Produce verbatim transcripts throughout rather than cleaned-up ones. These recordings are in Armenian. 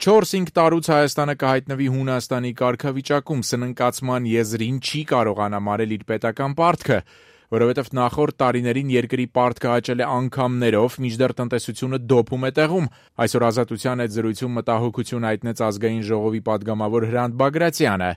չորս-հինգ տարուց Հայաստանը կհայտնվի Հունաստանի կարգավիճակում, սննկացման եզրին չի կարող անամարել իր պետական պարտքը, որովհետև նախորդ տարիներին երկրի պարտքը աճել է անգամներով, մինչդեռ տնտեսությունը դոփում է տեղում։ Այսօր Ազատության հետ զրույցում մտահոգություն հայտնեց Ազգային ժողովի պատգամավոր Հրանտ Բագրատյանը։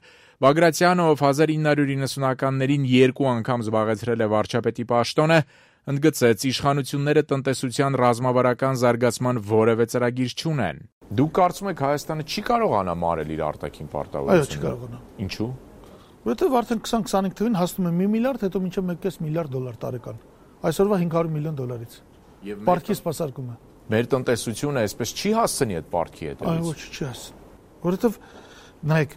Բագրատյանը, ով հազար ինը հարյուր իննսունականներին երկու անգամ զբաղեցրել է վարչապետի պաշտոնը, ընդգծեց, իշխանությունները տնտեսության ռազմավարական զարգացման որևէ ծրագիր չունեն։ Դուք կարծում եք Հայաստանը չի կարող անամարել իր արտաքին պարտավորությունը։ Այո, չի կարողանա։ Ինչու՞։ Որովհետև արդեն քսան քսանհինգ թվին հասնում է մի միլիարդ, հետո մինչև մեկ կես միլիարդ դոլար տարեկան։ Այսօրվա հինգ հարյուր միլիոն դոլարից։ Պարտքի սպասարկումը։ Մեր տնտեսությունը այսպես չի հասցնի այդ պարտքի հետ։ Այո, ոչ, չի հասցնի։ Որովհետև նայեք,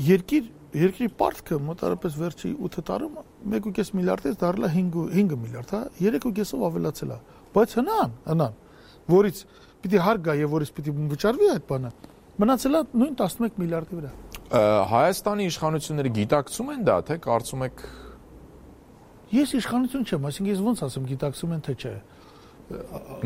երկիր երկրի պարտքը մոտարապես վերջի ութ տարում մեկ կես միլիարդից դառել է հինգ միլիարդ, հա, երեք կեսով ավելացել է։ Բայց հնան, հնան, որից պիտի հարկ գա եւ որից պիտի վճարվի այդ բանը, մնացել է նույն տասնմեկ միլիարդի վրա։ Հայաստանի իշխանությունները գիտակցում են դա, թե կարծում եք։ Ես իշխանություն չեմ, այսինքն ես ոնց ասեմ, գիտակցում են թե չէ։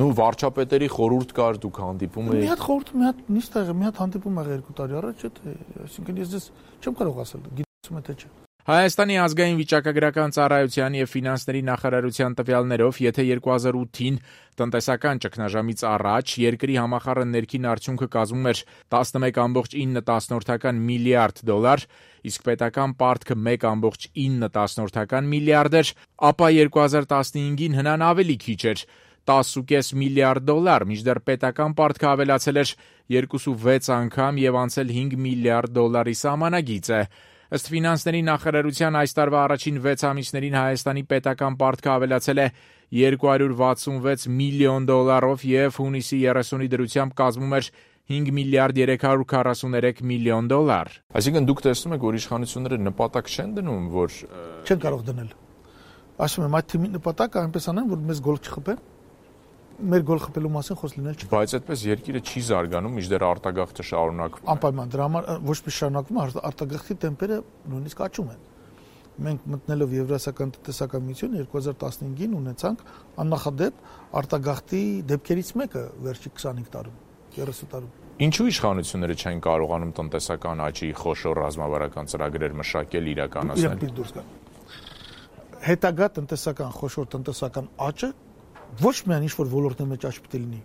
Նու վարչապետերի խորհուրդ կար, դուք հանդիպում եք։ Մի հատ խորհուրդ, մի հատ նիստ եղավ, մի հատ հանդիպում եղավ երկու տարի առաջ, չէ՞, այսինքն ես դες չեմ կարող ասել, գիտակցում եմ թե չէ։ Հայաստանի ազգային վիճակագրական ծառայության եւ ֆինանսների նախարարության տվյալներով, եթե երկու հազար ութին տնտեսական ճգնաժամից առաջ երկրի համախառն ներքին արդյունքը կազմում էր տասնմեկ կόμma ինը միլիարդ դոլար, իսկ պետական պարտքը մեկ կόμma ինը միլիարդ էր, ապա երկու հազար տասնհինգին հնան ավելի քիչ էր տասը կόμma պենս միլիարդ դոլար, մինչդեռ պետական պարտքը ավելացել էր երկուսուվեց անգամ եւ անցել հինգ միլիարդ դոլարի սահմանագիծը։ Ըստ ֆինանսների նախարարության այս տարվա առաջին վեց ամիսներին Հայաստանի պետական պարտքը ավելացել է երկու հարյուր վաթսունվեց միլիոն դոլարով եւ հունիսի երեսունի դրությամբ կազմում էր հինգ միլիարդ երեք հարյուր քառասուներեք միլիոն դոլար։ Այսինքն դուք տեսնում եք, որ իշխանությունները նպատակ չեն դնում, որ չեն կարող դնել։ Ասում եմ, այդ թիմի նպատակը այնպես անեն, որ մեզ գոլ չխփեն։ Մեր գոլ խփելու մասին խոսք լինել չի։ Բայց այդպես երկիրը չի զարգանում, մինչդեռ արտագաղթը շարունակվում է։ Անպայման դրա համար ոչ մի շարունակվում է, արտագաղթի տեմպերը նույնիսկ աճում են։ Մենք մտնելով Եվրասիական տնտեսական միություն երկու հազար տասնհինգին ունեցանք աննախադեպ արտագաղթի դեպքերից մեկը վերջի քսանհինգ տարում, երեսուն տարում։ Ինչու իշխանությունները չեն կարողանում տնտեսական աճի խոշոր ռազմավարական ծրագրեր մշակել, իրականացնել։ Հետագա տնտեսական խոշոր տնտեսական աճը ոչ միայն ինչ-որ ոլորտների մեջ աճ պիտի լինի,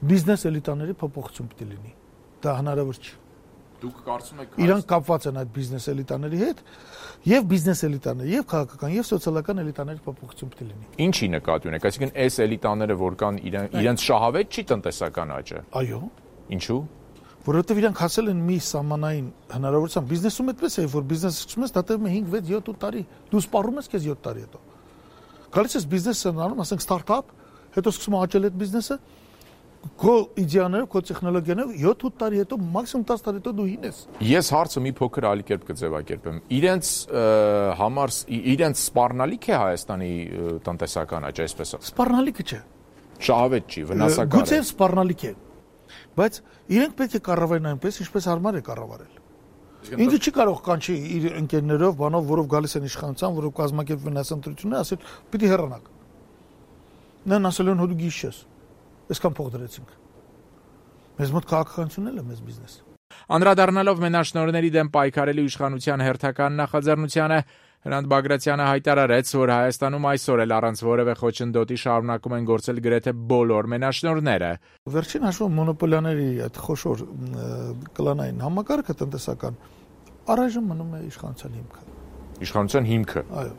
բիզնես էլիտաների փոփոխություն պիտի լինի։ Դա հնարավոր չի։ Դուք կարծում եք իրանք կապված են այդ բիզնես էլիտաների հետ, եւ բիզնես էլիտաները, եւ քաղաքական, եւ սոցիալական էլիտաների փոփոխություն պիտի լինի։ Ինչի նկատի ունեք, այսինքն այս էլիտաները, որ կան, իրենց շահավետ չի տնտեսական աճը։ Այո։ Ինչու։ Որովհետեւ իրանք հասել են մի սահմանային հնարավորության, բիզնեսում այդպես է, որ բիզնեսը սկսում ես դա տևում է հինգ վեց յոթ տարի, դու սպառում ես քեզ յոթ տարի հետո։ Գալիս ես բիզնեսը անում, ասենք ստարտափ, հետո սկսում աճել այդ բիզնեսը, քո իդեաներով, քո տեխնոլոգիաներով յոթ տարի հետո, մաքսիմում տասը տարի հետո դու հին ես։ Ես հարցը մի փոքր այլ կերպ կձևակերպեմ։ Իրենց համար իրենց սպառնալիք է Հայաստանի տնտեսական աճը, այսպես ասած։ Սպառնալիքը չէ։ Շահավետ չի, վնասակար է։ Գուցե սպառնալիք է, բայց իրենք պետք է կառավարեն այնպես, ինչպես հարմար է կառավարել։ Ինքը չի կարող կանչի իր ընկերներով, բանով, որով գալիս են իշխանության, որով կազմակերպվում են ընտրությունները, ասել՝ պիտի հեռանաք։ Նրան ասել են հոդու գիշ ես։ Այսքան փող դրեցինք։ Մեզ մոտ քաղաքականությունն է մեզ բիզնես։ Անդրադառնալով մենաշնորհների դեմ պայքարելու իշխանության հերթական նախաձեռնությանը, Հրանտ Բագրատյանը հայտարարեց, որ Հայաստանում այսօր էլ առանց որևէ խոչընդոտի շարունակում են գործել գրեթե բոլոր մենաշնորհները։ Վերջին հաշվով մոնոպոլիաների այդ խոշոր կլանային համակարգը տնտեսական առայժմ մնում է իշխանության հիմքը։ Իշխանության հիմքը։ Այո։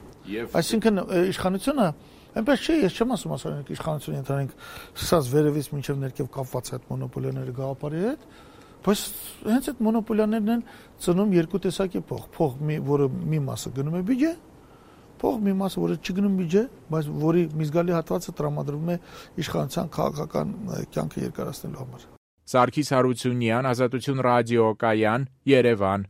Այսինքն իշխանությունը այնպես չէ, ես չեմ ասում ասենք իշխանությունը ընդհանրենք սկսած վերևից մինչև ներքև կապված այդ մոնոպոլիաների գաղափարի հետ, բայց հենց այդ մոնոպոլիաներն են ծնում երկու տեսակի փող, փող, որը մի մասը գնում է բյուջե, փող մի մասը, որը չգնում բյուջե, բայց որի մի զգալի հատվածը տրամադրվում է իշխանության քաղաքական կյանքը երկարացնելու համար։ Սարգիս Հարությունյան, Ազատություն ռադիոկայան, Երևան։